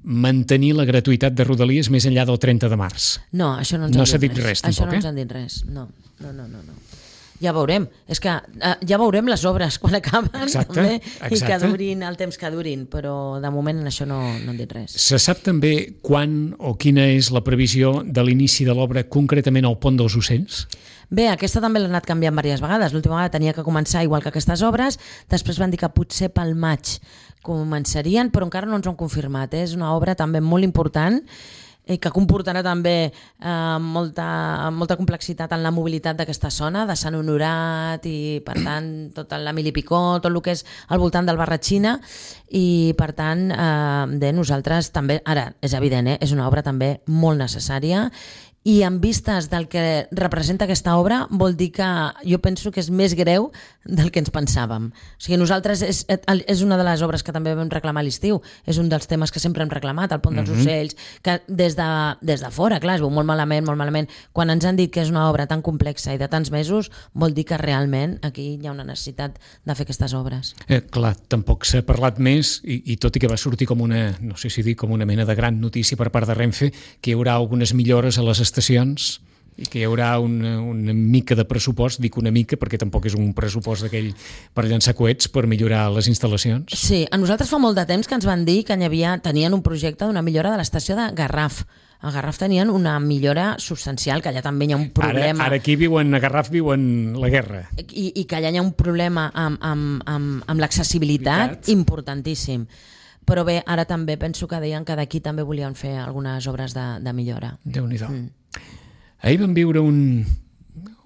Speaker 2: mantenir la gratuïtat de Rodalies més enllà del trenta de març.
Speaker 3: No, això no ens
Speaker 2: no
Speaker 3: han dit res. res
Speaker 2: això
Speaker 3: tampoc,
Speaker 2: no
Speaker 3: ens han dit res. No, no, no, no. no. Ja veurem, és que uh, ja veurem les obres quan acaben
Speaker 2: exacte,
Speaker 3: també,
Speaker 2: exacte.
Speaker 3: i que durin el temps que durin, però de moment en això no, no han dit res.
Speaker 2: Se sap també quan o quina és la previsió de l'inici de l'obra concretament al Pont dels Ocells?
Speaker 3: Bé, aquesta també l'ha anat canviant diverses vegades. L'última vegada tenia que començar igual que aquestes obres, després van dir que potser pel maig començarien, però encara no ens ho han confirmat. Eh? És una obra també molt important i que comportarà també eh, molta, molta complexitat en la mobilitat d'aquesta zona, de Sant Honorat i, per tant, tot l'Emili Picó, tot el que és al voltant del Barratxina, i, per tant, eh, de nosaltres també, ara, és evident, eh, és una obra també molt necessària, i en vistes del que representa aquesta obra vol dir que jo penso que és més greu del que ens pensàvem. O sigui, nosaltres és, és una de les obres que també vam reclamar a l'estiu, és un dels temes que sempre hem reclamat, el Pont dels mm-hmm. Ocells, que des de, des de fora, clar, es veu molt malament, molt malament. Quan ens han dit que és una obra tan complexa i de tants mesos, vol dir que realment aquí hi ha una necessitat de fer aquestes obres.
Speaker 2: Eh, clar, tampoc s'ha parlat més, i, i tot i que va sortir com una, no sé si dir, com una mena de gran notícia per part de Renfe, que hi haurà algunes millores a les estacions i que hi haurà una, una mica de pressupost, dic una mica perquè tampoc és un pressupost d'aquell per llançar coets per millorar les instal·lacions.
Speaker 3: Sí, a nosaltres fa molt de temps que ens van dir que hi havia, tenien un projecte d'una millora de l'estació de Garraf. A Garraf tenien una millora substancial, que allà també hi ha un problema...
Speaker 2: Ara, ara aquí viuen, a Garraf viuen la guerra.
Speaker 3: I, i que allà hi ha un problema amb, amb, amb, amb l'accessibilitat importantíssim. Però bé, ara també penso que deien que d'aquí també volien fer algunes obres de, de millora.
Speaker 2: Déu-n'hi-do. Mm. Ahir vam viure un,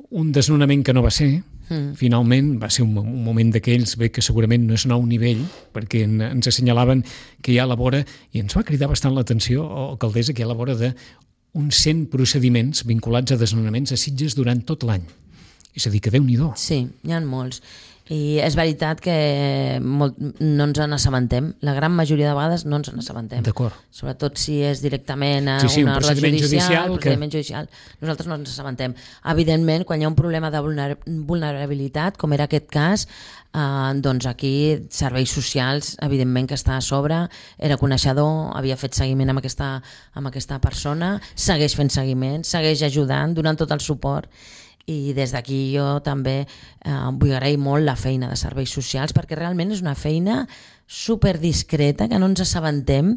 Speaker 2: un desnonament que no va ser. Mm. Finalment va ser un, un moment d'aquells bé que segurament no és nou nivell, perquè en, ens assenyalaven que hi ha a la vora, i ens va cridar bastant l'atenció, alcaldessa, que hi ha a la vora d'uns cent procediments vinculats a desnonaments a Sitges durant tot l'any. És a dir, que Déu-n'hi-do.
Speaker 3: Sí, n'hi ha molts. I és veritat que molt, no ens n'assabentem. La gran majoria de vegades no ens n'assabentem.
Speaker 2: D'acord.
Speaker 3: Sobretot si és directament a
Speaker 2: sí, sí,
Speaker 3: una
Speaker 2: un
Speaker 3: ordre
Speaker 2: procediment
Speaker 3: judicial,
Speaker 2: judicial,
Speaker 3: procediment
Speaker 2: que...
Speaker 3: judicial. Nosaltres no ens n'assabentem. Evidentment, quan hi ha un problema de vulnerabilitat, com era aquest cas, eh, doncs aquí serveis socials, evidentment que està a sobre, era coneixedor, havia fet seguiment amb aquesta, amb aquesta persona, segueix fent seguiment, segueix ajudant, donant tot el suport. I des d'aquí jo també eh, vull agrair molt la feina de serveis socials, perquè realment és una feina super discreta, que no ens assabentem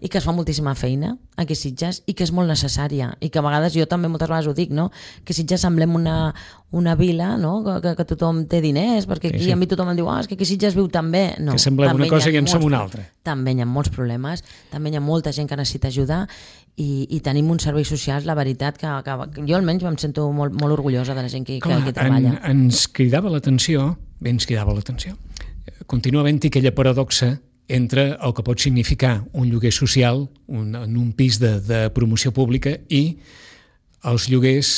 Speaker 3: i que es fa moltíssima feina aquí a Sitges i que és molt necessària, i que a vegades jo també moltes vegades ho dic, no? Que Sitges semblem una, una vila, no? que, que tothom té diners, perquè aquí sí, sí. A mi tothom em diu, ah, és que aquí a Sitges viu tan bé. No,
Speaker 2: que semblem una cosa i en som una altra.
Speaker 3: També hi ha molts problemes, també hi ha molta gent que necessita ajudar, i, i tenim uns serveis socials, la veritat, que, que jo almenys em sento molt, molt orgullosa de la gent que, Clar, que, que treballa.
Speaker 2: En, ens cridava l'atenció, bé ens cridava l'atenció, continua havent-hi aquella paradoxa entre el que pot significar un lloguer social un, en un pis de, de promoció pública i els lloguers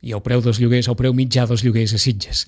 Speaker 2: i el preu dels lloguers, el preu mitjà dels lloguers a Sitges.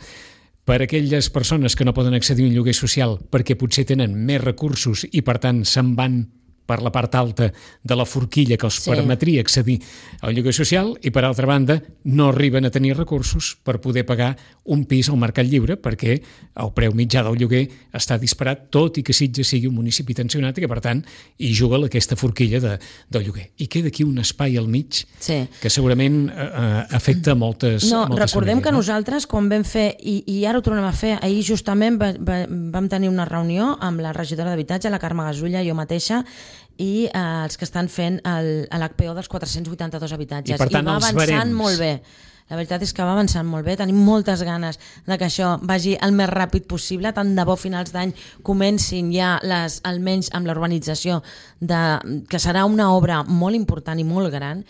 Speaker 2: Per a aquelles persones que no poden accedir a un lloguer social perquè potser tenen més recursos i per tant se'n van per la part alta de la forquilla que els
Speaker 3: Sí.
Speaker 2: permetria accedir al lloguer social i, per altra banda, no arriben a tenir recursos per poder pagar un pis al mercat lliure perquè el preu mitjà del lloguer està disparat, tot i que Sitges sigui un municipi tensionat i que, per tant, hi juga aquesta forquilla de, del lloguer. I queda aquí un espai al mig
Speaker 3: Sí.
Speaker 2: que segurament eh, afecta moltes,
Speaker 3: No,
Speaker 2: moltes
Speaker 3: recordem
Speaker 2: famílies,
Speaker 3: que
Speaker 2: no?
Speaker 3: nosaltres, quan vam fer, i, i ara ho tornem a fer, ahir justament va, va, vam tenir una reunió amb la regidora d'Habitatge, la Carme Gasulla, jo mateixa, i eh, els que estan fent l'H P O dels quatre-cents vuitanta-dos habitatges.
Speaker 2: I, per tant,
Speaker 3: va
Speaker 2: els
Speaker 3: avançant
Speaker 2: barems.
Speaker 3: molt bé. La veritat és que va avançant molt bé, tenim moltes ganes de que això vagi el més ràpid possible, tant de bo finals d'any comencin ja les, almenys amb la urbanització, de, que serà una obra molt important i molt gran.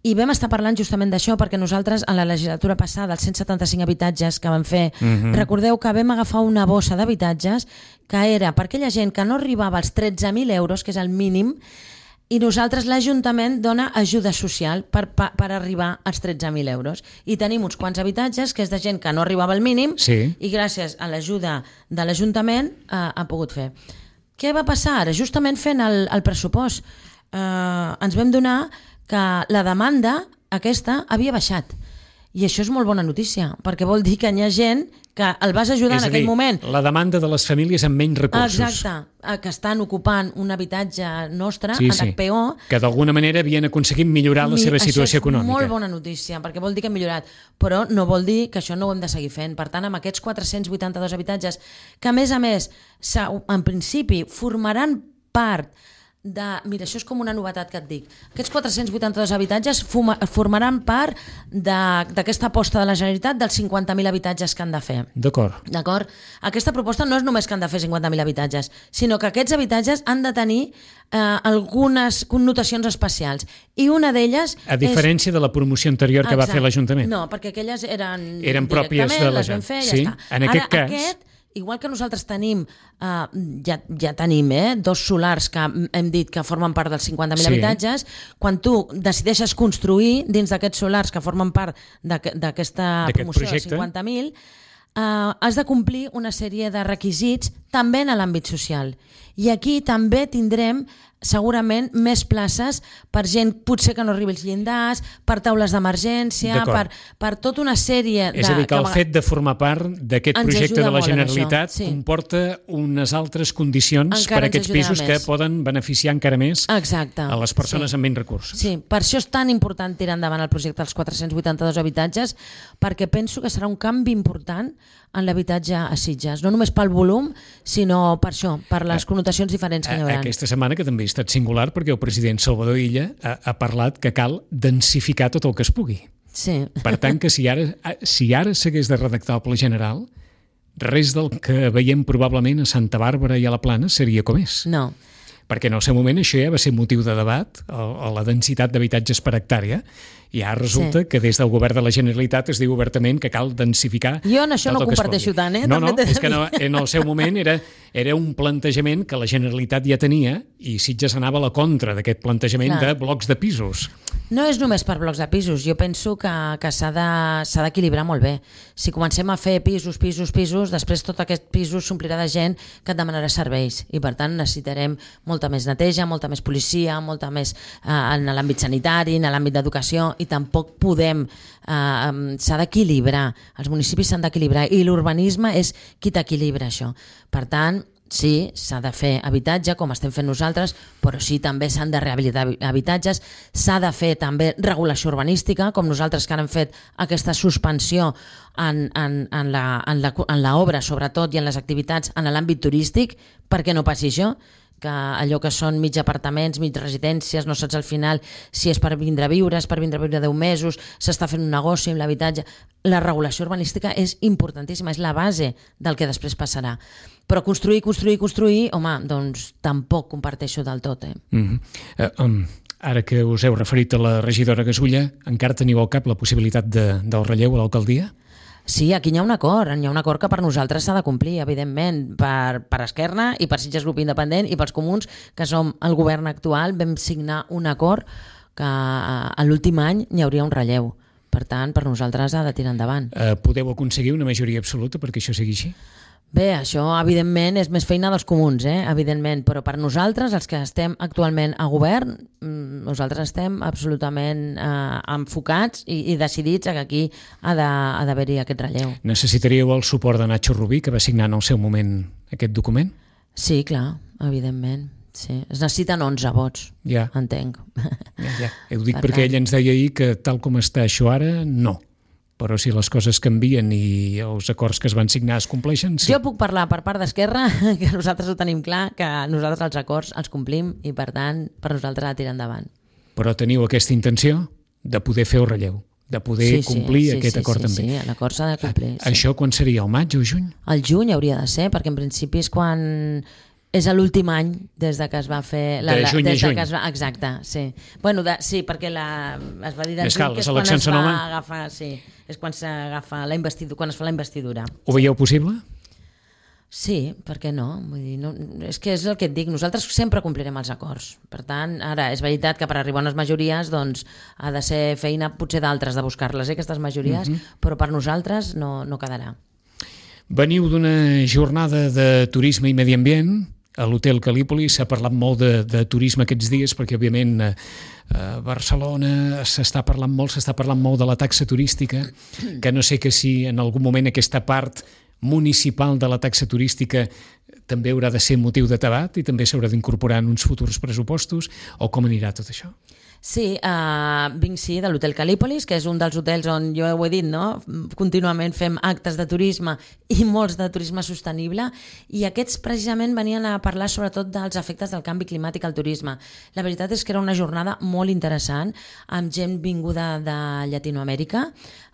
Speaker 3: I vam estar parlant justament d'això perquè nosaltres en la legislatura passada, els cent setanta-cinc habitatges que vam fer,
Speaker 2: Mhm.
Speaker 3: recordeu que vam agafar una bossa d'habitatges que era per aquella gent que no arribava als tretze mil euros, que és el mínim, i nosaltres, l'Ajuntament, dona ajuda social per, per, per arribar als tretze mil euros. I tenim uns quants habitatges que és de gent que no arribava al mínim
Speaker 2: Sí.
Speaker 3: i gràcies a l'ajuda de l'Ajuntament eh, ha pogut fer. Què va passar ara? Justament fent el, el pressupost eh, ens vam donar que la demanda aquesta havia baixat. I això és molt bona notícia, perquè vol dir que hi ha gent que el vas ajudar
Speaker 2: És
Speaker 3: en
Speaker 2: a
Speaker 3: aquell
Speaker 2: dir,
Speaker 3: moment.
Speaker 2: la demanda de les famílies amb menys recursos.
Speaker 3: Exacte, eh, que estan ocupant un habitatge nostre,
Speaker 2: Sí,
Speaker 3: en
Speaker 2: sí.
Speaker 3: H P O.
Speaker 2: Que d'alguna manera havien aconseguit millorar la
Speaker 3: Mi-
Speaker 2: seva situació
Speaker 3: això és
Speaker 2: econòmica.
Speaker 3: molt bona notícia, perquè vol dir que hem millorat, però no vol dir que això no ho hem de seguir fent. Per tant, amb aquests quatre-cents vuitanta-dos habitatges, que a més a més, s'ha- en principi, formaran part de... Mira, això és com una novetat que et dic. Aquests quatre-cents vuitanta-dos habitatges fuma, formaran part de- d'aquesta aposta de la Generalitat dels cinquanta mil habitatges que han de fer.
Speaker 2: D'acord.
Speaker 3: D'acord? Aquesta proposta no és només que han de fer cinquanta mil habitatges, sinó que aquests habitatges han de tenir eh, algunes connotacions especials. I una d'elles
Speaker 2: A diferència de la promoció anterior que va
Speaker 3: Exacte.
Speaker 2: fer l'Ajuntament.
Speaker 3: No, perquè aquelles eren
Speaker 2: Eren pròpies
Speaker 3: directament,
Speaker 2: de la
Speaker 3: les vam
Speaker 2: gent.
Speaker 3: fer i
Speaker 2: Sí,
Speaker 3: ja està.
Speaker 2: en aquest
Speaker 3: Ara,
Speaker 2: cas-
Speaker 3: aquest, igual que nosaltres tenim, eh, ja, ja tenim eh, dos solars que hem dit que formen part dels cinquanta mil
Speaker 2: Sí.
Speaker 3: habitatges, quan tu decideixes construir dins d'aquests solars que formen part d'aqu- d'aquesta
Speaker 2: D'aquest
Speaker 3: promoció dels
Speaker 2: projecte.
Speaker 3: cinquanta mil, Uh, has de complir una sèrie de requisits també en l'àmbit social. I aquí també tindrem segurament més places per gent potser que no arribi als llindars, per taules d'emergència,
Speaker 2: D'acord.
Speaker 3: per, per tota una sèrie de...
Speaker 2: És a dir, que el
Speaker 3: a
Speaker 2: fet de formar part d'aquest
Speaker 3: Ens
Speaker 2: projecte
Speaker 3: ajuda
Speaker 2: de la
Speaker 3: molt en
Speaker 2: Generalitat
Speaker 3: això, sí.
Speaker 2: comporta unes altres condicions
Speaker 3: Encara
Speaker 2: per a
Speaker 3: ens
Speaker 2: aquests
Speaker 3: ajudarà
Speaker 2: pisos que
Speaker 3: més.
Speaker 2: poden beneficiar encara més
Speaker 3: Exacte.
Speaker 2: a les persones
Speaker 3: Sí.
Speaker 2: amb menys recursos.
Speaker 3: Sí, per això és tan important tirar endavant el projecte dels quatre-cents vuitanta-dos habitatges, perquè penso que serà un canvi important en l'habitatge a Sitges, no només pel volum, sinó per això, per les connotacions diferents que hi haurà.
Speaker 2: Aquesta setmana, que també ha estat singular, perquè el president Salvador Illa ha, ha parlat que cal densificar tot el que es pugui.
Speaker 3: Sí.
Speaker 2: Per tant, que si ara si ara s'hagués de redactar el Pla General, res del que veiem probablement a Santa Bàrbara i a la Plana seria com és.
Speaker 3: No.
Speaker 2: Perquè en el seu moment això ja va ser motiu de debat, a la densitat d'habitatges per hectàrea, i ara resulta
Speaker 3: Sí.
Speaker 2: que des del govern de la Generalitat es diu obertament que cal densificar...
Speaker 3: Jo en això
Speaker 2: tot
Speaker 3: no
Speaker 2: el que es
Speaker 3: comparteixo
Speaker 2: pugui.
Speaker 3: tant, eh?
Speaker 2: No,
Speaker 3: També
Speaker 2: no,
Speaker 3: t'he de
Speaker 2: és que
Speaker 3: dir.
Speaker 2: no, en el seu moment era, era un plantejament que la Generalitat ja tenia i Sitges anava a la contra d'aquest plantejament
Speaker 3: Clar.
Speaker 2: de blocs de pisos.
Speaker 3: No és només per blocs de pisos, jo penso que, que s'ha de- s'ha d'equilibrar molt bé. Si comencem a fer pisos, pisos, pisos, després tot aquest pisos s'omplirà de gent que et demanarà serveis i per tant necessitarem molta més neteja, molta més policia, molta més eh, en l'àmbit sanitari, en l'àmbit d'educació i tampoc podem, eh, s'ha d'equilibrar, els municipis s'han d'equilibrar i l'urbanisme és qui t'equilibra això. Per tant, sí, s'ha de fer habitatge, com estem fent nosaltres, però sí, també s'han de rehabilitar habitatges, s'ha de fer també regulació urbanística, com nosaltres que ara hem fet aquesta suspensió en, en, en, la, en, la, en la obra, sobretot, i en les activitats en l'àmbit turístic, perquè no passi això, que allò que són mig apartaments, mig residències, no saps al final si és per vindre a viure, és per vindre a viure deu mesos, s'està fent un negoci amb l'habitatge. La regulació urbanística és importantíssima, és la base del que després passarà. Però construir, construir, construir, home, doncs tampoc comparteixo del tot. Eh?
Speaker 2: Mm-hmm. uh, um, ara que us heu referit a la regidora Gasulla, encara teniu al cap la possibilitat de, del relleu a l'alcaldia?
Speaker 3: Sí, aquí hi ha un acord, hi ha un acord que per nosaltres s'ha de complir, evidentment, per, per Esquerra i per Sitges Grup Independent i pels comuns, que som el govern actual, vam signar un acord que a l'últim any hi hauria un relleu. Per tant, per nosaltres ha de tirar endavant.
Speaker 2: Uh, podeu aconseguir una majoria absoluta perquè això sigui així?
Speaker 3: Bé, això evidentment és més feina dels comuns, eh? Evidentment, però per nosaltres, els que estem actualment a govern, nosaltres estem absolutament eh, enfocats i, i decidits que aquí ha d'haver-hi aquest relleu.
Speaker 2: Necessitaríeu el suport de Nacho Rubí, que va signar en el seu moment aquest document?
Speaker 3: Sí, clar, evidentment. Sí. Es necessiten onze vots,
Speaker 2: ja.
Speaker 3: entenc.
Speaker 2: Ja, ja. Ho dic per perquè tant... ell ens deia ahir que tal com està això ara, no. Però si les coses canvien i els acords que es van signar es compleixen, sí.
Speaker 3: Jo puc parlar per part d'Esquerra, que nosaltres ho tenim clar, que nosaltres els acords els complim i, per tant, per nosaltres ha de tirar endavant.
Speaker 2: Però teniu aquesta intenció de poder fer el relleu, de poder
Speaker 3: sí, sí,
Speaker 2: complir
Speaker 3: sí,
Speaker 2: aquest
Speaker 3: sí,
Speaker 2: acord
Speaker 3: sí,
Speaker 2: també.
Speaker 3: Sí, l'acord s'ha de complir.
Speaker 2: A, sí. Això quan seria, el maig o juny?
Speaker 3: El juny hauria de ser, perquè en principi és quan... És l'últim any des de que es va fer... La,
Speaker 2: de juny
Speaker 3: la,
Speaker 2: a juny.
Speaker 3: Que es va, exacte, sí. Bueno, de, sí, perquè la, es va dir de
Speaker 2: juny,
Speaker 3: cal, que és quan es va agafar... Sí, és quan s'agafa la investidura, quan es fa la investidura.
Speaker 2: Ho veieu possible?
Speaker 3: Sí, per què no? Vull dir, no? És que és el que et dic, nosaltres sempre complirem els acords. Per tant, ara, és veritat que per arribar a unes majories doncs, ha de ser feina potser d'altres de buscar-les, eh, aquestes majories, uh-huh. però per nosaltres no, no quedarà.
Speaker 2: Veniu d'una jornada de turisme i medi ambient. A l'Hotel Calípoli s'ha parlat molt de, de turisme aquests dies perquè, òbviament, a, a Barcelona s'està parlant molt, s'està parlant molt de la taxa turística, que no sé que si en algun moment aquesta part municipal de la taxa turística també haurà de ser motiu de debat i també s'haurà d'incorporar en uns futurs pressupostos, o com anirà tot això?
Speaker 3: Sí, uh, vinc sí de l'Hotel Calípolis, que és un dels hotels on jo ho he dit, no? Contínuament fem actes de turisme i molts de turisme sostenible, i aquests precisament venien a parlar sobretot dels efectes del canvi climàtic al turisme. La veritat és que era una jornada molt interessant, amb gent vinguda de Llatinoamèrica,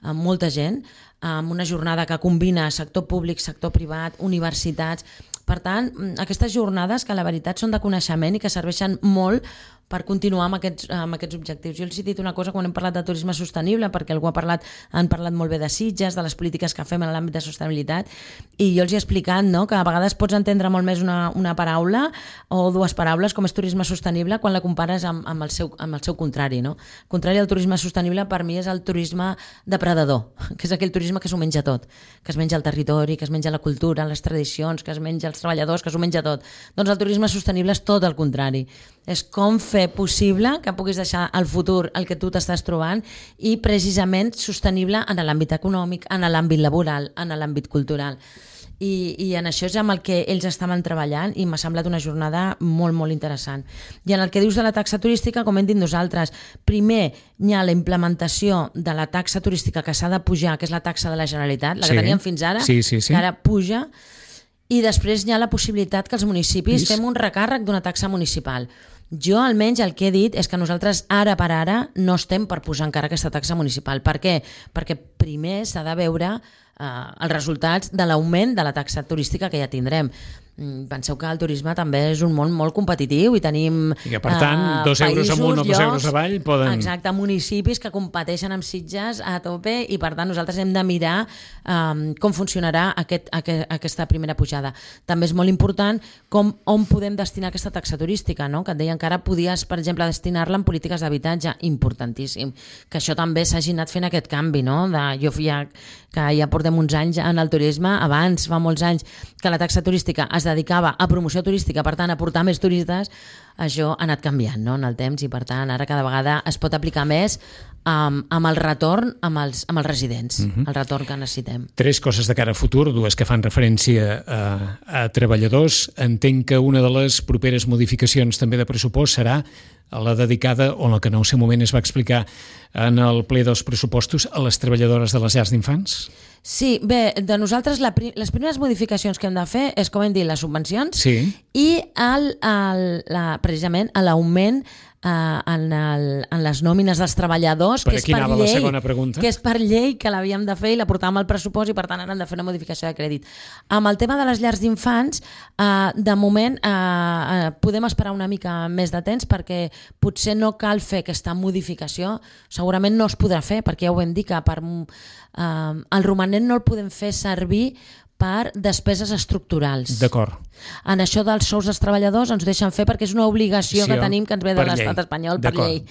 Speaker 3: amb molta gent, amb una jornada que combina sector públic, sector privat, universitats. Per tant, aquestes jornades que la veritat són de coneixement i que serveixen molt per continuar amb aquests, amb aquests objectius. Jo els he dit una cosa quan hem parlat de turisme sostenible, perquè algú ha parlat, han parlat molt bé de Sitges, de les polítiques que fem en l'àmbit de sostenibilitat, i jo els he explicat, no?, que a vegades pots entendre molt més una, una paraula o dues paraules com és turisme sostenible quan la compares amb, amb, el, seu, amb el seu contrari. No? El contrari al turisme sostenible per mi és el turisme depredador, que és aquell turisme que s'ho menja tot, que es menja el territori, que es menja la cultura, les tradicions, que es menja els treballadors, que s'ho menja tot. Doncs el turisme sostenible és tot el contrari. És com fer possible que puguis deixar al futur el que tu t'estàs trobant i precisament sostenible en l'àmbit econòmic, en l'àmbit laboral, en l'àmbit cultural. I, i en això és amb el que ells estaven treballant i m'ha semblat una jornada molt, molt interessant. I en el que dius de la taxa turística, com hem dit nosaltres, primer hi ha la implementació de la taxa turística que s'ha de pujar, que és la taxa de la Generalitat, la que sí. teníem fins ara,
Speaker 2: sí, sí, sí.
Speaker 3: que ara puja, i després hi ha la possibilitat que els municipis Is... fem un recàrrec d'una taxa municipal. Jo, almenys, el que he dit és que nosaltres, ara per ara, no estem per posar encara aquesta taxa municipal. Per què? Perquè primer s'ha de veure eh, els resultats de l'augment de la taxa turística que ja tindrem. Penseu que el turisme també és un món molt competitiu i tenim
Speaker 2: I que, per tant, uh, dos euros amunt o dos euros avall poden...
Speaker 3: Exacte, municipis que competeixen amb Sitges a tope i, per tant, nosaltres hem de mirar um, com funcionarà aquest, aquest, aquesta primera pujada. També és molt important com, on podem destinar aquesta taxa turística, no? Que et deien que ara podies, per exemple, destinar-la en polítiques d'habitatge, importantíssim. Que això també s'hagi anat fent aquest canvi, no? De, jo ja, que ja portem uns anys en el turisme, abans, fa molts anys, que la taxa turística es dedicava a promoció turística, per tant, a portar més turistes, això ha anat canviant, no?, en el temps, i per tant, ara cada vegada es pot aplicar més um, amb el retorn amb els, amb els residents, uh-huh. el retorn que necessitem.
Speaker 2: Tres coses de cara a futur, dues que fan referència a, a treballadors. Entenc que una de les properes modificacions també de pressupost serà la dedicada, o el que en el seu moment es va explicar en el ple dels pressupostos, a les treballadores de les llars d'infants?
Speaker 3: Sí, bé, de nosaltres la, les primeres modificacions que hem de fer és, com hem dit, les subvencions
Speaker 2: sí.
Speaker 3: i el, el, la, precisament l'augment eh, en, el, en les nòmines dels treballadors,
Speaker 2: per
Speaker 3: que és per llei,
Speaker 2: la segona pregunta.
Speaker 3: que és per llei que l'havíem de fer i la portàvem al pressupost i per tant ara hem de fer una modificació de crèdit. Amb el tema de les llars d'infants, eh, de moment eh, eh, podem esperar una mica més de temps perquè potser no cal fer aquesta modificació, segurament no es podrà fer perquè ja ho vam dir que per, eh, el romanent no el podem fer servir per despeses estructurals.
Speaker 2: D'acord.
Speaker 3: En això dels sous dels treballadors ens deixen fer perquè és una obligació sí, que tenim que ens ve de l'estat espanyol per llei.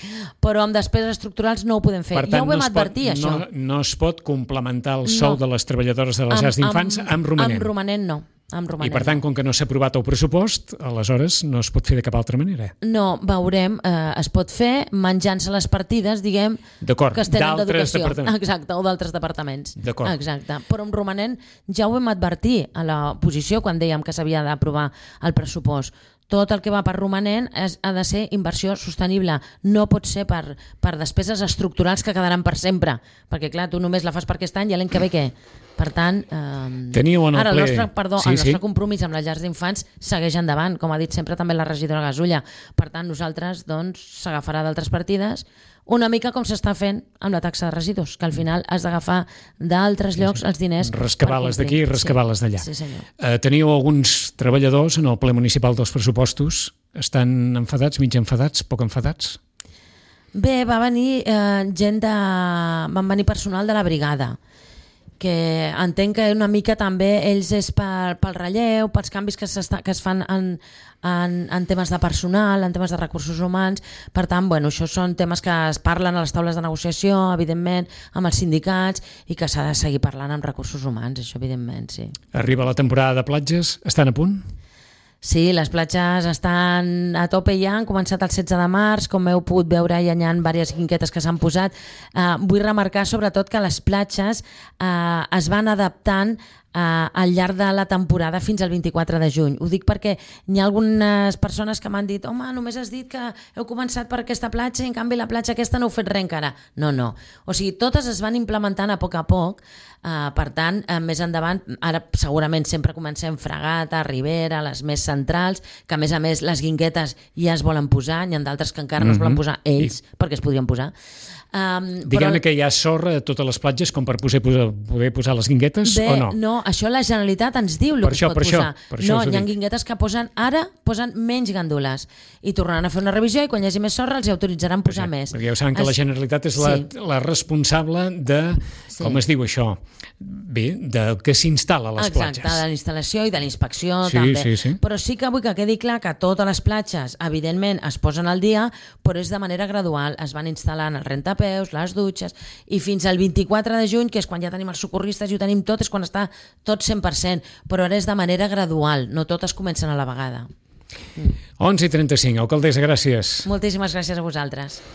Speaker 3: Però amb despeses estructurals no ho podem fer.
Speaker 2: Per tant,
Speaker 3: ja ho vam
Speaker 2: no
Speaker 3: advertir,
Speaker 2: pot,
Speaker 3: això.
Speaker 2: No, no es pot complementar el sou
Speaker 3: no.
Speaker 2: de les treballadores de les llars d'infants amb, amb romanent.
Speaker 3: Amb romanent no. amb romanent.
Speaker 2: I per tant, com que no s'ha aprovat el pressupost, aleshores no es pot fer de cap altra manera.
Speaker 3: No, veurem, eh, es pot fer menjant-se les partides, diguem,
Speaker 2: D'acord,
Speaker 3: que es tenen
Speaker 2: d'altres
Speaker 3: d'educació.
Speaker 2: departaments.
Speaker 3: Exacte, o d'altres departaments.
Speaker 2: D'acord.
Speaker 3: Exacte. Però amb romanent ja ho vam advertir a l'oposició quan dèiem que s'havia d'aprovar el pressupost. Tot el que va per romanent és, ha de ser inversió sostenible. No pot ser per, per despeses estructurals que quedaran per sempre. Perquè, clar, tu només la fas per aquest any i l'any que ve què? Per tant, eh,
Speaker 2: Teníeu en el
Speaker 3: ara el
Speaker 2: ple...
Speaker 3: nostre, perdó,
Speaker 2: sí,
Speaker 3: el nostre
Speaker 2: sí.
Speaker 3: compromís amb les llars d'infants segueix endavant, com ha dit sempre també la regidora Gasulla. Per tant, nosaltres doncs, s'agafarà d'altres partides, una mica com s'està fent amb la taxa de residus, que al final has d'agafar d'altres llocs els diners.
Speaker 2: Rescabar-les d'aquí i rescabar-les d'allà.
Speaker 3: Sí, sí, senyor.
Speaker 2: Eh, teníeu alguns treballadors en el ple municipal dels pressupostos. Estan enfadats, mig enfadats, poc enfadats?
Speaker 3: Bé, va venir eh, gent de... van venir personal de la brigada, que entenc que una mica també ells és per, pel relleu, pels canvis que, que es fan en, en, en temes de personal, en temes de recursos humans. Per tant, bueno, això són temes que es parlen a les taules de negociació, evidentment, amb els sindicats, i que s'ha de seguir parlant amb recursos humans, això evidentment, sí.
Speaker 2: Arriba la temporada de platges, estan a punt?
Speaker 3: Sí, les platges estan a tope ja, han començat el setze de març, com heu pogut veure hi ha diverses guinguetes que s'han posat. Uh, vull remarcar sobretot que les platges uh, es van adaptant Uh, al llarg de la temporada fins al vint-i-quatre de juny. Ho dic perquè hi ha algunes persones que m'han dit home, només has dit que heu començat per aquesta platja i en canvi la platja aquesta no heu fet res encara. No, no. O sigui, totes es van implementant a poc a poc, uh, per tant, uh, més endavant, ara segurament sempre comencem Fragata, Ribera, les més centrals, que a més a més les guinguetes ja es volen posar, n'hi ha d'altres que encara no es volen posar ells, I... perquè es podrien posar. Um,
Speaker 2: Diguem-ne
Speaker 3: però...
Speaker 2: que hi ha sorra a totes les platges com per poder posar, poder posar les guinguetes
Speaker 3: Bé,
Speaker 2: o no?
Speaker 3: No, això la Generalitat ens diu el
Speaker 2: per
Speaker 3: que
Speaker 2: això,
Speaker 3: es pot
Speaker 2: per
Speaker 3: posar.
Speaker 2: Això, per això
Speaker 3: no,
Speaker 2: us ho
Speaker 3: hi ha
Speaker 2: dic.
Speaker 3: guinguetes que posen ara posen menys gàndoles i tornaran a fer una revisió i quan hi hagi més sorra els autoritzaran posar
Speaker 2: Perquè,
Speaker 3: més.
Speaker 2: perquè ja ho saben que
Speaker 3: es...
Speaker 2: la Generalitat és la,
Speaker 3: sí.
Speaker 2: la responsable de,
Speaker 3: Sí.
Speaker 2: com es diu això? Bé, de que s'instal·la a les
Speaker 3: Exacte,
Speaker 2: platges.
Speaker 3: de la instal·lació i de la inspecció
Speaker 2: Sí,
Speaker 3: també.
Speaker 2: sí, sí.
Speaker 3: Però sí que vull que quedi clar que totes les platges, evidentment, es posen al dia, però és de manera gradual. Es van instal·lant els rentapeus, les dutxes, i fins al vint-i-quatre de juny, que és quan ja tenim els socorristes i ho tenim tot, és quan està tot cent per cent, però ara és de manera gradual, no totes comencen a la vegada.
Speaker 2: onze i trenta-cinc, alcaldessa, gràcies.
Speaker 3: Moltíssimes gràcies a vosaltres.